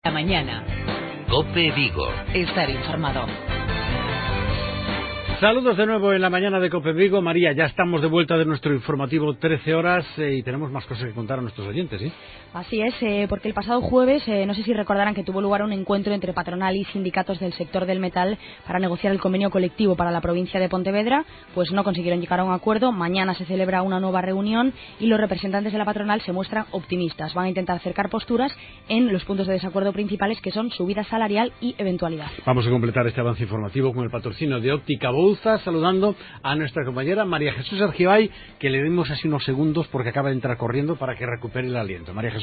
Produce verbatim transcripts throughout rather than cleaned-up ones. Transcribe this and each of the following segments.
La mañana. COPE Vigo. Estar informado. Saludos de nuevo en la mañana de COPE Vigo. María, ya estamos de vuelta de nuestro informativo trece horas eh, y tenemos más cosas que contar a nuestros oyentes, ¿sí? Así es, eh, porque el pasado jueves, eh, no sé si recordarán que tuvo lugar un encuentro entre patronal y sindicatos del sector del metal para negociar el convenio colectivo para la provincia de Pontevedra, pues no consiguieron llegar a un acuerdo. Mañana se celebra una nueva reunión y los representantes de la patronal se muestran optimistas. Van a intentar acercar posturas en los puntos de desacuerdo principales, que son subida salarial y eventualidad. Vamos a completar este avance informativo con el patrocinio de Óptica Bouza, saludando a nuestra compañera María Jesús Argibay, que le dimos así unos segundos porque acaba de entrar corriendo para que recupere el aliento. María Jesús,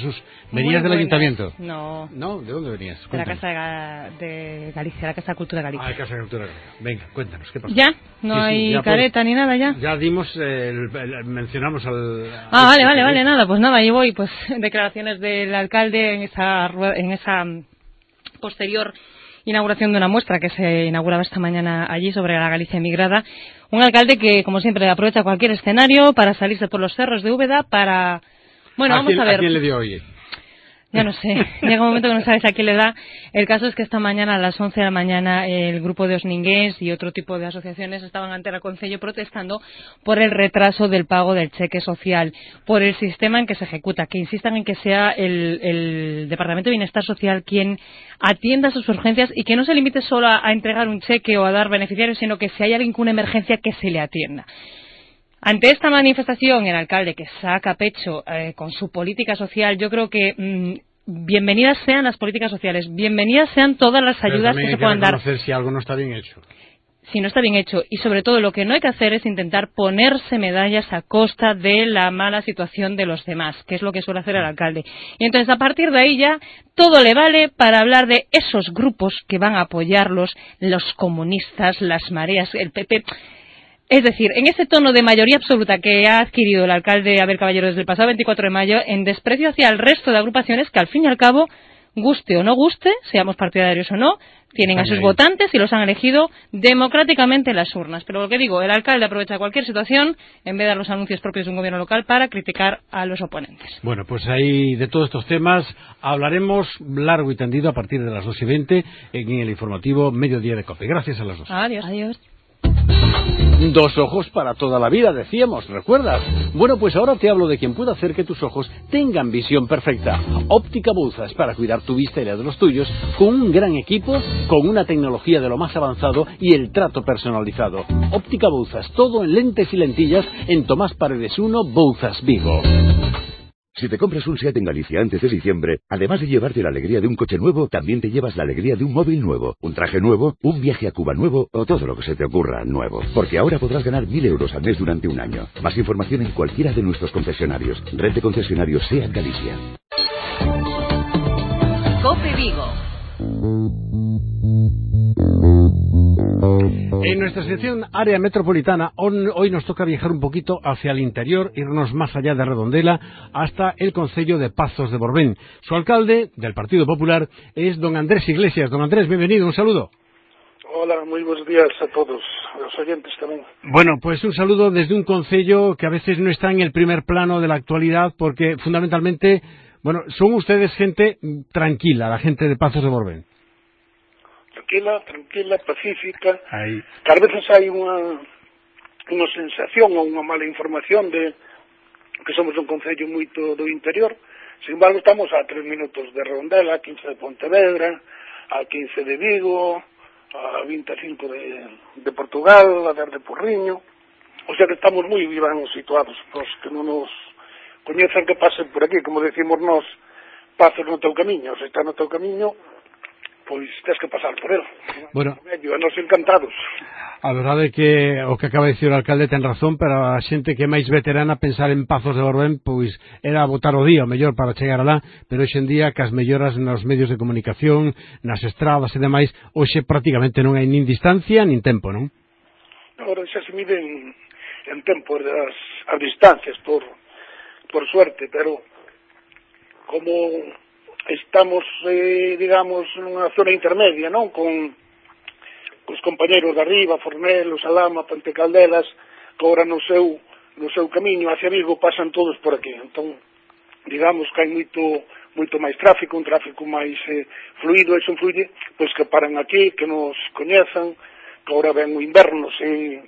¿venías del ayuntamiento? No. ¿No? ¿De dónde venías? De la Casa de, Ga de Galicia, la Casa de Cultura de Galicia. Ah, la Casa de Cultura de Galicia. Venga, cuéntanos, ¿qué pasa? ¿Ya? ¿No sí, hay sí, ya careta por... ni nada ya? Ya dimos, eh, el, el, mencionamos al... Ah, al vale, vale, vale, nada, pues nada, ahí voy, pues declaraciones del alcalde en esa, en esa posterior inauguración de una muestra que se inauguraba esta mañana allí sobre la Galicia emigrada. Un alcalde que, como siempre, aprovecha cualquier escenario para salirse por los cerros de Úbeda para... Bueno, ¿A vamos quién, a ver. ¿A quién le dio hoy? Ya no sé, llega un momento que no sabes a quién le da. El caso es que esta mañana, a las once de la mañana, el grupo de Osningués y otro tipo de asociaciones estaban ante el Concello protestando por el retraso del pago del cheque social, por el sistema en que se ejecuta, que insistan en que sea el, el Departamento de Bienestar Social quien atienda sus urgencias y que no se limite solo a, a entregar un cheque o a dar beneficiarios, sino que si hay alguien con una emergencia, que se le atienda. Ante esta manifestación, el alcalde, que saca pecho eh, con su política social, yo creo que mmm, bienvenidas sean las políticas sociales, bienvenidas sean todas las ayudas que se puedan dar. Pero también hay que reconocer si algo no está bien hecho. Si no está bien hecho. Y sobre todo lo que no hay que hacer es intentar ponerse medallas a costa de la mala situación de los demás, que es lo que suele hacer el alcalde. Y entonces, a partir de ahí ya, todo le vale para hablar de esos grupos que van a apoyarlos, los comunistas, las mareas, el P P... Es decir, en ese tono de mayoría absoluta que ha adquirido el alcalde Abel Caballero desde el pasado veinticuatro de mayo, en desprecio hacia el resto de agrupaciones que, al fin y al cabo, guste o no guste, seamos partidarios o no, tienen a sus votantes y los han elegido democráticamente en las urnas. Pero lo que digo, el alcalde aprovecha cualquier situación, en vez de dar los anuncios propios de un gobierno local, para criticar a los oponentes. Bueno, pues ahí de todos estos temas hablaremos largo y tendido a partir de las dos y veinte en el informativo Mediodía de COPE. Gracias a las dos. Adiós. Adiós. Dos ojos para toda la vida, decíamos, ¿recuerdas? Bueno, pues ahora te hablo de quien puede hacer que tus ojos tengan visión perfecta. Óptica Bouza es para cuidar tu vista y la de los tuyos con un gran equipo, con una tecnología de lo más avanzado y el trato personalizado. Óptica Bouza, todo en lentes y lentillas en Tomás Paredes uno, Bouzas, Vigo. Si te compras un SEAT en Galicia antes de diciembre, además de llevarte la alegría de un coche nuevo, también te llevas la alegría de un móvil nuevo, un traje nuevo, un viaje a Cuba nuevo o todo lo que se te ocurra nuevo. Porque ahora podrás ganar mil euros al mes durante un año. Más información en cualquiera de nuestros concesionarios. Red de concesionarios SEAT Galicia. COPE Vigo. En nuestra sección área metropolitana, hoy nos toca viajar un poquito hacia el interior, irnos más allá de Redondela, hasta el concello de Pazos de Borbén. Su alcalde, del Partido Popular, es don Andrés Iglesias. Don Andrés, bienvenido, un saludo. Hola, muy buenos días a todos, a los oyentes también. Bueno, pues un saludo desde un concello que a veces no está en el primer plano de la actualidad, porque fundamentalmente, bueno, son ustedes gente tranquila, la gente de Pazos de Borbén. Tranquila, tranquila, pacífica. Ahí. Que a veces hai unha, unha sensación ou unha mala información de que somos un concello moito do interior. Sin embargo, estamos a tres minutos de Redondela, a quince de Pontevedra, a quince de Vigo, a vinte e cinco de, de Portugal, a dez de Porriño. O sea que estamos moi ben situados. Os que non nos coñecen que pasen por aquí, como decimos nós, Pazos no teu camiño. Se está no teu camiño, pois tens que pasar por ele. Bueno, medio, nos encantados. A verdade é que o que acaba de dicir o alcalde ten razón, pero a xente que é máis veterana pensar en Pazos de Borbén, pois era botar o día o mellor para chegar alá, pero hoxe en día que as melloras nos medios de comunicación, nas estradas e demais, hoxe prácticamente non hai nin distancia nin tempo, non? Agora xa se miden en tempo as, as distancias, por, por suerte, pero como estamos, eh, digamos, nunha zona intermedia, non? Con os compañeros de arriba, Fornelo, Salama, Ponte Caldelas, que agora no seu, no seu camiño hacia Vigo pasan todos por aquí. Entón, digamos que hai moito moito máis tráfico, un tráfico máis eh, fluido, e son fluide, pois que paran aquí, que nos coñezan, que agora ven o inverno, se,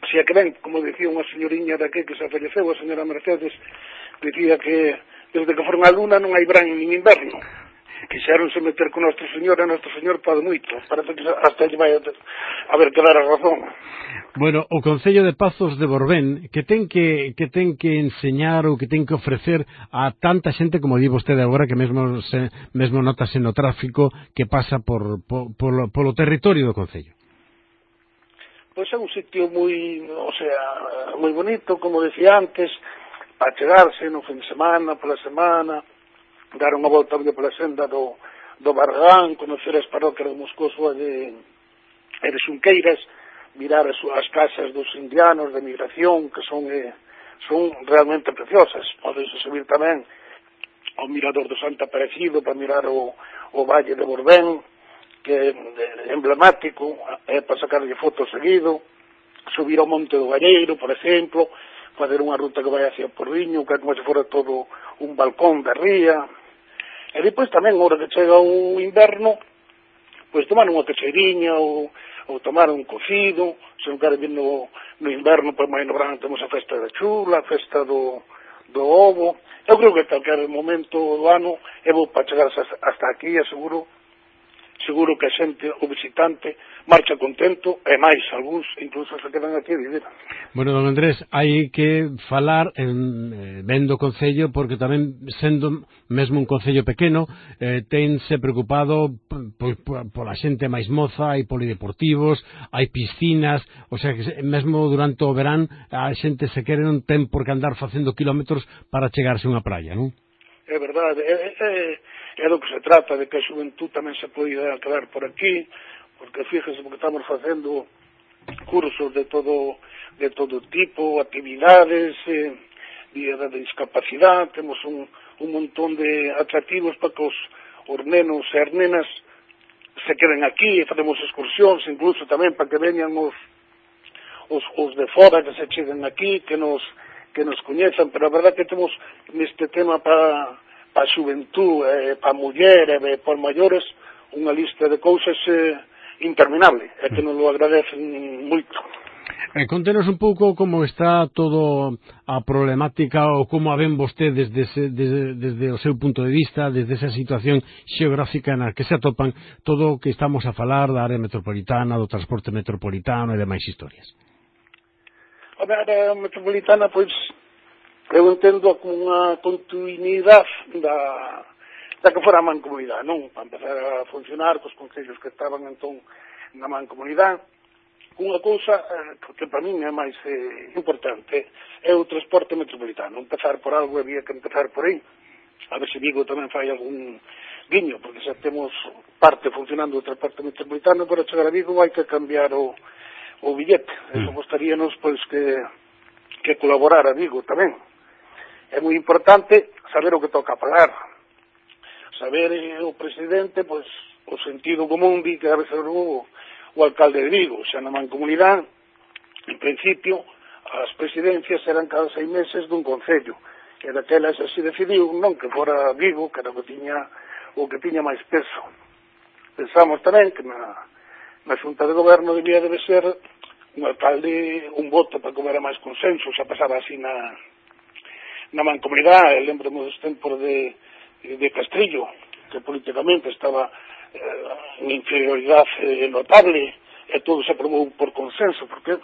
se é que ven, como decía unha señoriña daqui que se falleceu, a señora Mercedes, decía que desde que foron a luna non hai verán nin inverno. Quixeronse meter con Nuestro Señor, e Nuestro Señor pode moito, parece que hasta lle vai a, a ver que dar a razón. Bueno, o Concello de Pazos de Borbén, que ten que, que ten que enseñar ou que ten que ofrecer a tanta xente, como di vostede agora, que mesmo, se, mesmo notase no tráfico que pasa por, por, polo, polo territorio do Concello. Pois é un sitio moi, o sea, moi bonito, como decía antes, para chegarse no fin de semana, pola semana, dar unha volta pola senda do, do Barragán, conocer as parroquias de Moscoso e de, e de Xunqueiras, mirar as, as casas dos indianos de migración, que son, eh, son realmente preciosas. Podes subir tamén ao mirador do Santo Aparecido para mirar o, o Valle de Borbén, que é emblemático, é para sacarlle fotos seguido, subir ao Monte do Galleiro, por exemplo, fazer unha ruta que vai hacia Porriño, que é como se fora todo un balcón da ría. E depois tamén, agora que chega o inverno, pois tomar unha cacheiriña ou, ou tomar un cocido, se non quere vir no, no inverno, pois máis no verán temos a festa da chula, a festa do, do ovo. Eu creo que calquer momento do ano é bo para chegar hasta aquí, e seguro seguro que a xente, o visitante, marcha contento, e máis, algúns incluso se quedan aquí a vivir. Bueno, don Andrés, hai que falar en, eh, vendo o Concello, porque tamén, sendo mesmo un Concello pequeno, eh, tense preocupado pola xente máis moza, hai polideportivos, hai piscinas, o sea, que mesmo durante o verán, a xente se quere non ten por que andar facendo kilómetros para chegarse a unha praia, non? É verdade, é, é, é do que se trata, de que a xuventud tamén se poida quedar por aquí, porque fíjese, porque estamos facendo cursos de todo de todo tipo, actividades eh, de, de discapacidade, temos un, un montón de atractivos para que os, os nenos e as nenas se queden aquí, e facemos excursións, incluso tamén para que veñan os, os, os de fora, que se cheguen aquí, que nos que nos coñezan, pero a verdade que temos neste tema para pa a xuventud, eh, para a muller e para os maiores, unha lista de cousas eh, interminable, e que nos lo agradecen moito. Eh, contenos un pouco como está todo a problemática ou como a ven vostedes desde, desde, desde o seu punto de vista, desde esa situación xeográfica na que se atopan, todo o que estamos a falar da área metropolitana, do transporte metropolitano e demais historias. A área metropolitana, pois, eu entendo como unha continuidade da, da que fora a mancomunidade, non? Para empezar a funcionar cos concellos que estaban entón na mancomunidade, unha cousa eh, que para min é máis eh, importante é o transporte metropolitano. Empezar por algo, había que empezar por aí, a ver se Vigo tamén fai algún guiño, porque xa temos parte funcionando o transporte metropolitano, para chegar a Vigo hai que cambiar o o billete. Eso gostaríanos, pois, que, que colaborar a Vigo tamén. É moi importante saber o que toca pagar. Saber eh, o presidente, pois, o sentido común di que debe ser o, o alcalde de Vigo. Xa na mancomunidade, en principio, as presidencias eran cada seis meses dun concello. E daquelas así decidiu, non que fora Vigo, que era o que tiña, o que tiña máis peso. Pensamos tamén que na na Xunta de Goberno debía debe ser un alcalde, un voto para que houbera máis consenso. Xa pasaba así na, na mancomunidade, lembremos dos tempos de, de Castrillo, que políticamente estaba eh, en inferioridade eh, notable, e todo se aprobou por consenso, porque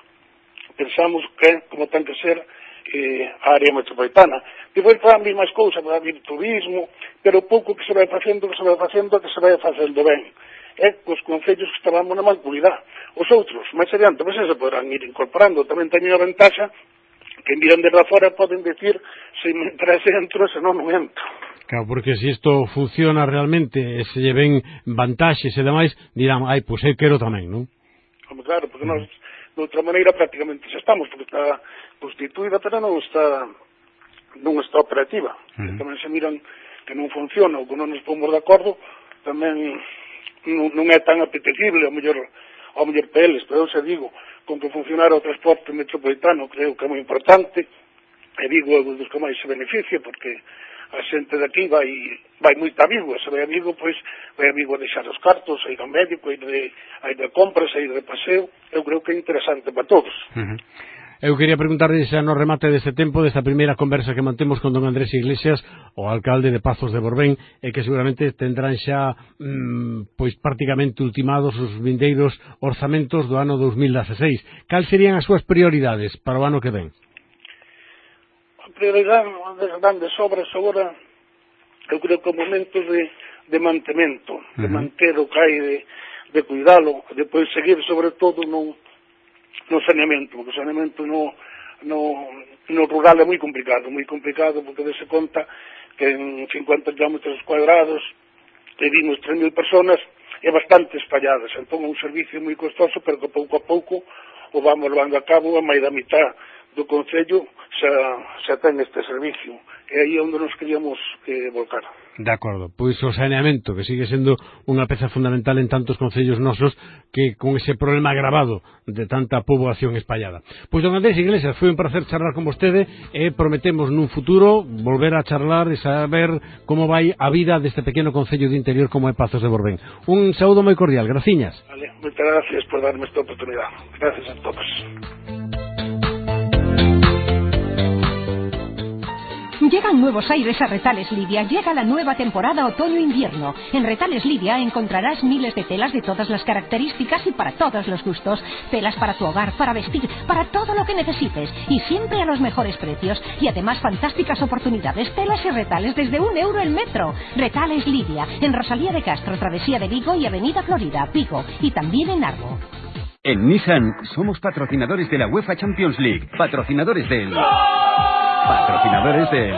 pensamos que, como ten que ser, eh, a área metropolitana. Depois para vir máis cousas, para vir turismo, pero pouco que se vai facendo, que se vai facendo, que se vai facendo ben. É cos concellos que estábamos na mancomunidade. Os outros, máis adiante, pois se poderán ir incorporando. Tamén teñen a ventaxa que miran desde fora poden decir se me interese entro, se non non entro. Claro, porque se isto funciona realmente e se lle ven vantaxes e demais, dirán, ai, pois eu quero tamén, non? Como claro, porque nós, de outra maneira, prácticamente xa estamos, porque está constituída, pero non está non está operativa. Uh-huh. Tamén se miran que non funciona ou que non nos pomos de acordo, tamén non, non é tan apetecible ao mellor, ao mellor para eles, pero eu se digo, con que funcionara o transporte metropolitano creo que é moi importante, e digo é dos que máis se beneficia, porque a xente de aquí vai vai moito amigo, se vai amigo, pois vai amigo a deixar os cartos, a ir ao médico, a ir de, a ir de compras, a ir de paseo. Eu creo que é interesante para todos. Uh-huh. Eu quería preguntarle xa no remate deste tempo, desta primeira conversa que mantemos con don Andrés Iglesias, o alcalde de Pazos de Borbén, e que seguramente tendrán xa mmm, pois prácticamente ultimados os vindeiros orzamentos do ano dos mil dezasseis. Cal serían as súas prioridades para o ano que ven? A prioridade das grandes obras agora, eu creo que o momento de, de mantemento, de uh-huh. manter o que hai, de, de cuidalo, depois seguir sobre todo no no saneamento, porque o saneamento no, no, no rural é moi complicado, moi complicado, porque dese conta que en cincuenta kilómetros cuadrados vivimos tres mil personas e bastante espalladas, entón é un servicio moi costoso, pero que pouco a pouco o vamos levando a cabo, a máis da mitad do Concello xa, xa ten este servicio, e aí é onde nos queríamos eh, volcar. De acordo, pois o saneamento, que sigue sendo unha peza fundamental en tantos concellos nosos, que con ese problema agravado de tanta poboación espallada. Pois don Andrés Iglesias, foi un placer charlar con vostede, e prometemos nun futuro volver a charlar e saber como vai a vida deste pequeno concello de interior como é Pazos de Borbén. Un saúdo moi cordial, graciñas. Vale, moitas gracias por darme esta oportunidade. Gracias a todos. Llegan nuevos aires a Retales Lidia, llega la nueva temporada otoño-invierno. En Retales Lidia encontrarás miles de telas de todas las características y para todos los gustos. Telas para tu hogar, para vestir, para todo lo que necesites. Y siempre a los mejores precios. Y además fantásticas oportunidades, telas y retales desde un euro el metro. Retales Lidia, en Rosalía de Castro, Travesía de Vigo y Avenida Florida, Vigo. Y también en Arbo. En Nissan somos patrocinadores de la UEFA Champions League, patrocinadores del... Patrocinadores de...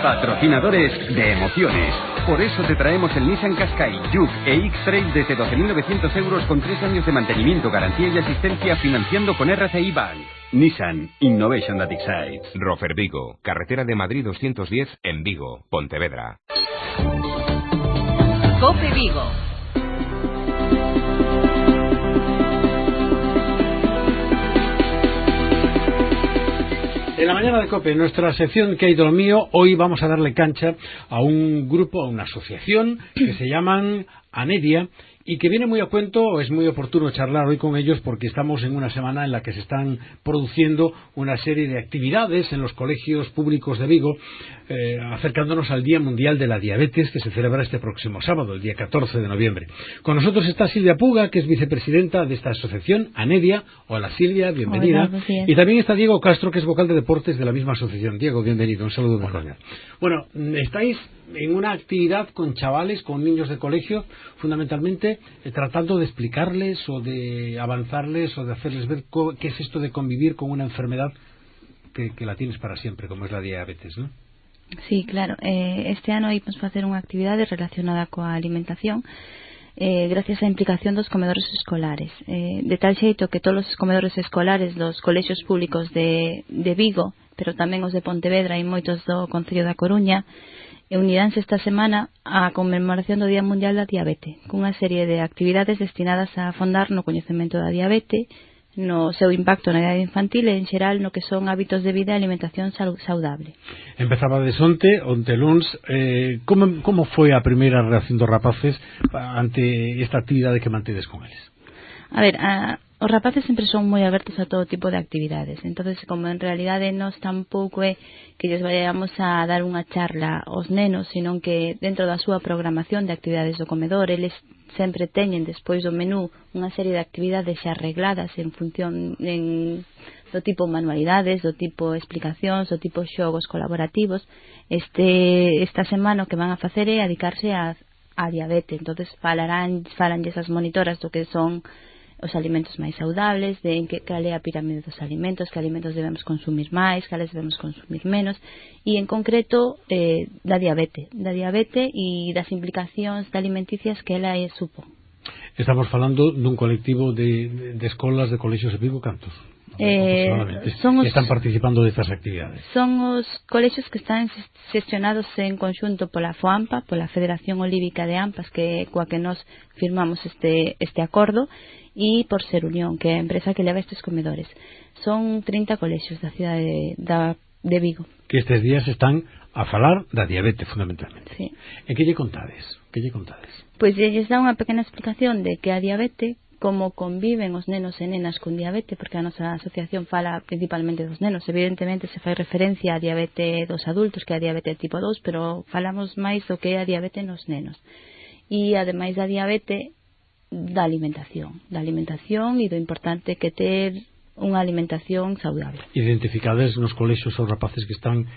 Patrocinadores de emociones. Por eso te traemos el Nissan Qashqai, Juke e X-Trail desde doce mil novecientos euros con tres años de mantenimiento, garantía y asistencia financiando con R C I Bank. Nissan Innovation that excites. Rofer Vigo, carretera de Madrid doscientos diez en Vigo, Pontevedra. COPE Vigo. En la mañana de COPE, en nuestra sección ¿Qué hay de lo mío? Hoy vamos a darle cancha a un grupo, a una asociación que se llaman Anedia, y que viene muy a cuento, es muy oportuno charlar hoy con ellos porque estamos en una semana en la que se están produciendo una serie de actividades en los colegios públicos de Vigo, eh, acercándonos al Día Mundial de la Diabetes, que se celebra este próximo sábado, el día catorce de noviembre. Con nosotros está Silvia Puga, que es vicepresidenta de esta asociación, Anedia. Hola Silvia, bienvenida. Hola, y también está Diego Castro, que es vocal de deportes de la misma asociación. Diego, bienvenido, un saludo muy cordial. Bueno, estáis en una actividad con chavales, con niños de colegio, fundamentalmente eh, tratando de explicarles o de avanzarles o de hacerles ver qué es esto de convivir con una enfermedad que, que la tienes para siempre, como es la diabetes, ¿no? Sí, claro. Eh, este ano íbamos a facer unha actividade relacionada coa alimentación, eh, gracias á implicación dos comedores escolares. Eh, de tal xeito que todos os comedores escolares dos colexios públicos de, de Vigo, pero tamén os de Pontevedra e moitos do Concello da Coruña, e uniránse esta semana á conmemoración do Día Mundial da Diabete, cunha serie de actividades destinadas a afondar no coñecemento da diabete, no seu impacto na idade infantil e en xeral no que son hábitos de vida e alimentación saudable. Empezaba de onte, onte luns, eh, como, como foi a primeira reacción dos rapaces ante esta actividade que mantedes con eles? A ver, a, os rapaces sempre son moi abertos a todo tipo de actividades, entonces como en realidade nós tampouco é que lles vayamos a dar unha charla aos nenos, senón que dentro da súa programación de actividades do comedor eles sempre teñen despois do menú unha serie de actividades xa arregladas en función en, do tipo manualidades, do tipo explicacións, do tipo xogos colaborativos. Este, esta semana o que van a facer é dedicarse a, a diabetes, entonces falarán, falanlles as monitoras do que son os alimentos máis saudables, de en que cal é a pirámide dos alimentos, que alimentos debemos consumir máis, cales debemos consumir menos, e en concreto eh, da diabete, da diabete e das implicacións de alimenticias que ela é supón. Estamos falando dun colectivo de, de escolas, de colexios de Vigo, cantos? Eh, son os, están participando destas actividades. Son os colexios que están xestionados en conxunto pola FOAMPA, pola Federación Olívica de AMPAS, que coa que nos firmamos este, este acordo, e por Ser Unión, que é a empresa que leva estes comedores. Son trinta colexios da cidade de, da, de Vigo. Que estes días están a falar da diabetes, fundamentalmente. Sí. E que lle contades? Que lle contades? Pois lles dá unha pequena explicación de que a diabetes, como conviven os nenos e nenas con diabetes, porque a nosa asociación fala principalmente dos nenos, evidentemente se fai referencia a diabetes dos adultos, que é a diabetes tipo dous, pero falamos máis do que é a diabetes nos nenos. E ademais da diabetes, da alimentación, da alimentación e do importante que ter unha alimentación saudable. Identificades nos colexios os rapaces que están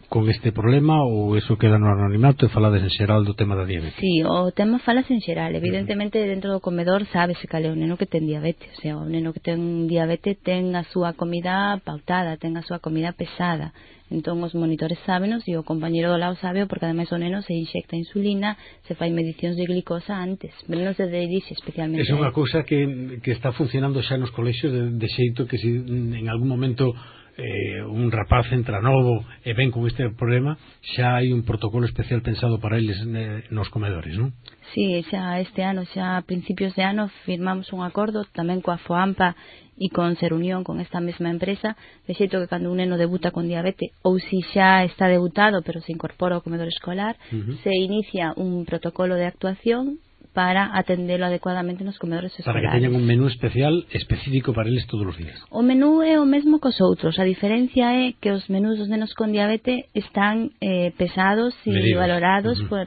con este problema ou eso queda no anonimato e falades en xeral do tema da diabetes? Sí, o tema falase en xeral. Evidentemente dentro do comedor sábese cal é o neno que ten diabetes, o sea, o neno que ten diabetes ten a súa comida pautada, ten a súa comida pesada. Entón os monitores sábenos e o compañeiro do lado sabe, porque ademais o neno se inxecta insulina, se fai medicións de glicosa antes, pero non se dirixe especialmente. É unha cousa que, que está funcionando xa nos colexios de, de xeito que se en algún momento eh, un rapaz entra novo e ven con este problema, xa hai un protocolo especial pensado para eles eh, nos comedores, non? Sí, xa este ano, xa a principios de ano firmamos un acordo tamén coa FOAMPA e con Ser Unión, con esta mesma empresa, de xeito que cando un neno debuta con diabetes ou si xa está debutado pero se incorpora ao comedor escolar, uh-huh. se inicia un protocolo de actuación para atendelo adecuadamente nos comedores escolares. Para que teñan un menú especial específico para eles todos os días. O menú é o mesmo cos outros. A diferencia é que os menús dos nenos con diabetes están eh, pesados e medidos, valorados uh-huh. por,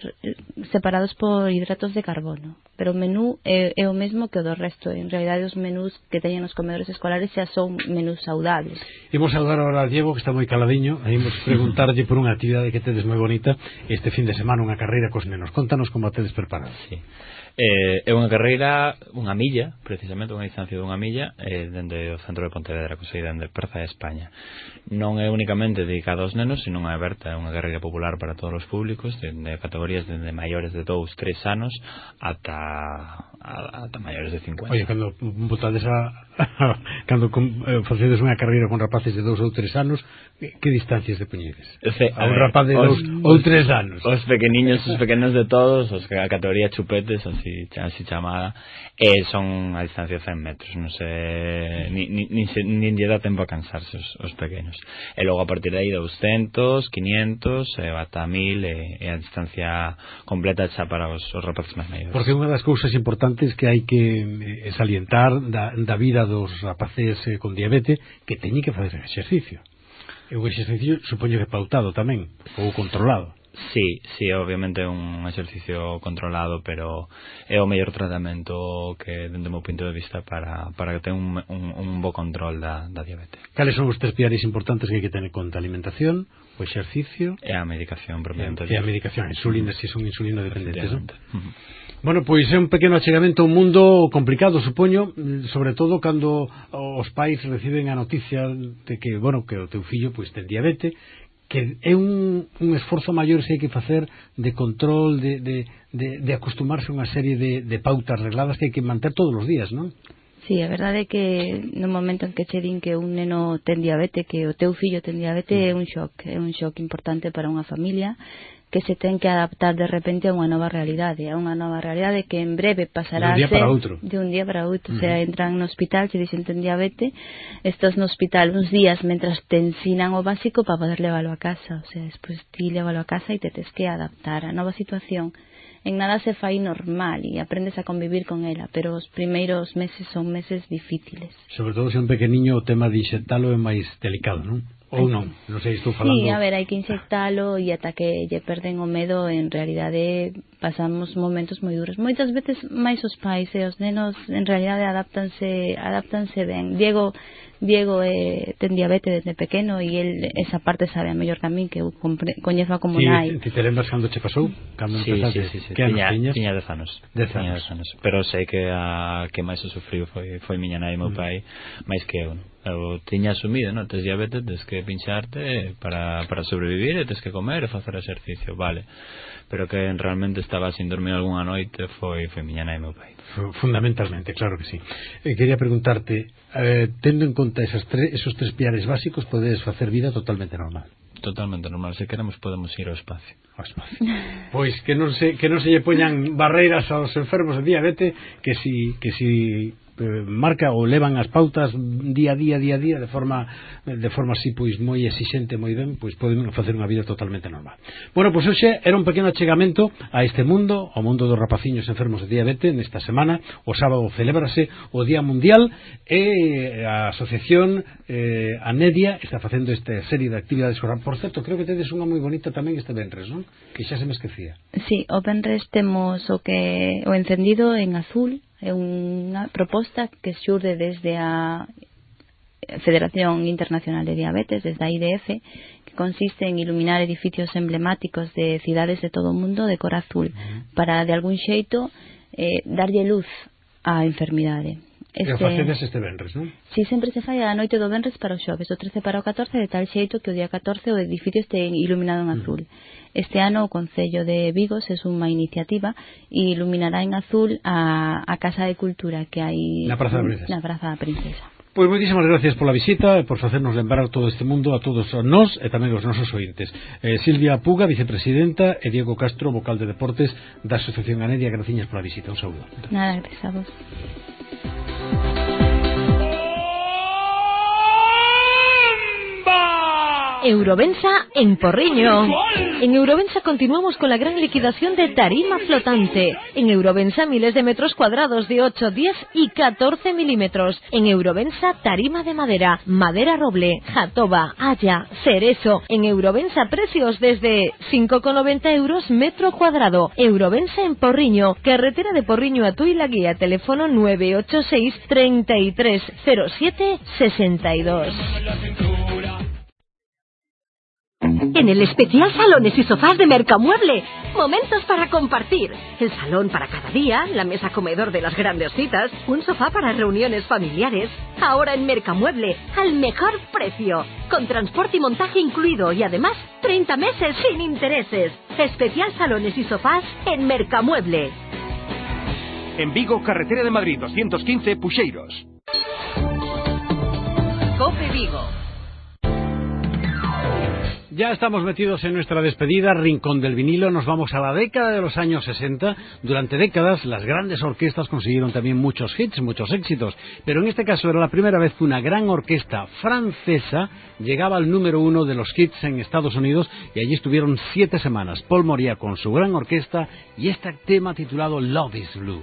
separados por hidratos de carbono. Pero o menú é, é o mesmo que o do resto. En realidade os menús que teñen os comedores escolares xa son menús saudables. Imos saludar agora a Diego, que está moi caladiño. Imos preguntarlle por unha actividade que tedes moi bonita este fin de semana, unha carreira cos nenos. Contanos como a tedes preparado. Sí. Eh, é unha carreira, unha milla, precisamente unha distancia dunha milla, eh, dende o centro de Pontevedra, que sei, dende Perza de España. Non é únicamente dedicado aos nenos, sino é aberta, é unha carreira popular para todos os públicos, de, de categorías dende maiores de dous, tres anos ata ata maiores de cincuenta. Oye, cando botades a cando eh, facedes unha carreira con rapaces de dous ou tres anos, que distancias de poñedes? A un rapaz de dous ou tres anos. Os pequeniños, os pequenos de todos, os que a categoría chupetes, así, así chamada, eh, son a distancia de cen metros, non sei, ni, ni, ni, ni lle dá tempo a cansarse os, os pequenos. E logo a partir de aí doscientos, quinientos, e ata mil, e, e a distancia completa xa para os, os rapaces máis maiores. Porque unha das cousas importantes que hai que eh, salientar da, da vida dos rapaces eh, con diabetes, que teñen que facer exercicio. E o exercicio supoño que pautado tamén, ou controlado. Sí, sí, obviamente é un exercicio controlado, pero é o mellor tratamento que, dende o meu punto de vista, para, para que tenga un, un, un bo control da, da diabetes. Cales son os tres piares importantes que hai que tener conta? A alimentación, o exercicio e a medicación propiamente. E a medicación, a insulina, se son insulina dependentes, non? Uh-huh. Bueno, pois é un pequeno achegamento a un mundo complicado, supoño, sobre todo cando os pais reciben a noticia de que, bueno, que o teu fillo pois ten diabetes, que é un, un esforzo maior se hai que facer de control, de, de, de, de acostumarse a unha serie de, de pautas regladas que hai que manter todos os días, non? Sí, a verdade é que no momento en que che din que un neno ten diabetes, que o teu fillo ten diabetes, é un shock, é un shock importante para unha familia que se ten que adaptar de repente a unha nova realidade, a unha nova realidade que en breve pasará de un día a ser para outro. de un día para outro, uh-huh. O sea, entran no hospital, se dicen ten diabetes, estás no hospital uns días mentras te ensinan o básico para poder leválo a casa, o sea, despois ti leválo a casa e te tes que adaptar a nova situación. En nada se fai normal e aprendes a convivir con ela, pero os primeiros meses son meses difíciles. Sobre todo se un pequeniño o tema de inxectalo é máis delicado, non? Ou non, non sei, estou falando... Sí, a ver, hai que inxectalo e ata que lle perden o medo, en realidade pasamos momentos moi duros. Moitas veces máis os pais e os nenos en realidade adaptanse, adaptanse ben. Diego Diego eh, ten diabetes desde pequeno e el esa parte sabe a mellor que a min, que eu coñezo como sí, nai. Ti te lembras cando che pasou? Cando sí, empezaste? Sí, sí, sí. Que tiña, tiñas? tiña dez anos. Dez tiña anos. dez anos. Pero sei que a que máis o sufriu foi, foi miña nai e meu pai, máis que eu. Eu tiña asumido, non? Tes diabetes, tes que pincharte para, para sobrevivir, e tes que comer e facer exercicio, vale. Pero que realmente estaba sin dormir algunha noite foi, foi miña nai e meu pai. Fundamentalmente, claro que sí. Eh, quería preguntarte, eh, tendo en conta esas tre esos tres piares básicos, podes facer vida totalmente normal? Totalmente normal, se queremos podemos ir ao espacio. Ao espacio. Pois que non se que non se lle poñan barreiras aos enfermos de diabetes, que si que si eh, marca ou levan as pautas día a día, día a día, de forma de forma así, pois, moi exixente, moi ben, pois poden facer unha vida totalmente normal. Bueno, pois hoxe era un pequeno achegamento a este mundo, ao mundo dos rapaciños enfermos de diabetes. Nesta semana, o sábado, celébrase o Día Mundial e a asociación eh, Anedia está facendo esta serie de actividades. Por certo, creo que tedes unha moi bonita tamén este venres, non? Que xa se me esquecía. Sí, o venres temos o que o encendido en azul, é unha proposta que xurde desde a Federación Internacional de Diabetes, desde a I D F, que consiste en iluminar edificios emblemáticos de cidades de todo o mundo de cor azul, uh-huh, para de algún xeito eh, darlle luz á enfermidade. Este... E o facedes este venres, non? Si, sempre se fai a noite do venres para o xoves, o trece para o catorce, de tal xeito que o día catorce o edificio este iluminado en azul. Mm. Este ano o Concello de Vigo se suma a iniciativa e iluminará en azul a, a Casa de Cultura que hai na Praza da Princesa. Na Praza da Princesa. Pois moitísimas gracias pola visita e por facernos lembrar todo este mundo a todos nós e tamén os nosos ointes. eh, Silvia Puga, vicepresidenta, e Diego Castro, vocal de deportes da Asociación Anedia, graciñas pola visita. Un saúdo. Nada, gracias a vos. Eurovensa en Porriño. En Eurovensa continuamos con la gran liquidación de tarima flotante. En Eurovensa miles de metros cuadrados de ocho, diez y catorce milímetros. En Eurovensa tarima de madera, madera roble, jatoba, haya, cerezo. En Eurovensa precios desde cinco con noventa euros metro cuadrado. Eurovensa en Porriño, carretera de Porriño a Tui La Guía, teléfono nueve ocho seis, treinta y tres, cero siete, sesenta y dos. En el especial Salones y Sofás de Mercamueble, momentos para compartir. El salón para cada día, la mesa comedor de las grandes citas, un sofá para reuniones familiares. Ahora en Mercamueble, al mejor precio, con transporte y montaje incluido y además treinta meses sin intereses. Especial Salones y Sofás en Mercamueble. En Vigo, carretera de Madrid doscientos quince, Puxeiros. COPE Vigo. Ya estamos metidos en nuestra despedida, Rincón del Vinilo. Nos vamos a la década de los años sesenta. Durante décadas las grandes orquestas consiguieron también muchos hits, muchos éxitos. Pero en este caso era la primera vez que una gran orquesta francesa llegaba al número uno de los hits en Estados Unidos, y allí estuvieron siete semanas. Paul Moria con su gran orquesta y este tema titulado Love is Blue.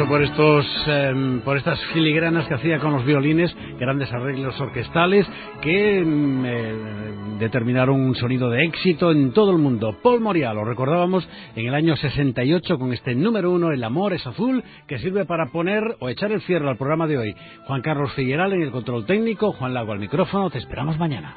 Por estos, eh, por estas filigranas que hacía con los violines, grandes arreglos orquestales que eh, determinaron un sonido de éxito en todo el mundo. Paul Moria, lo recordábamos en el año sesenta y ocho con este número uno, El amor es azul, que sirve para poner o echar el cierre al programa de hoy. Juan Carlos Figueral en el control técnico, Juan Lago al micrófono. Te esperamos mañana.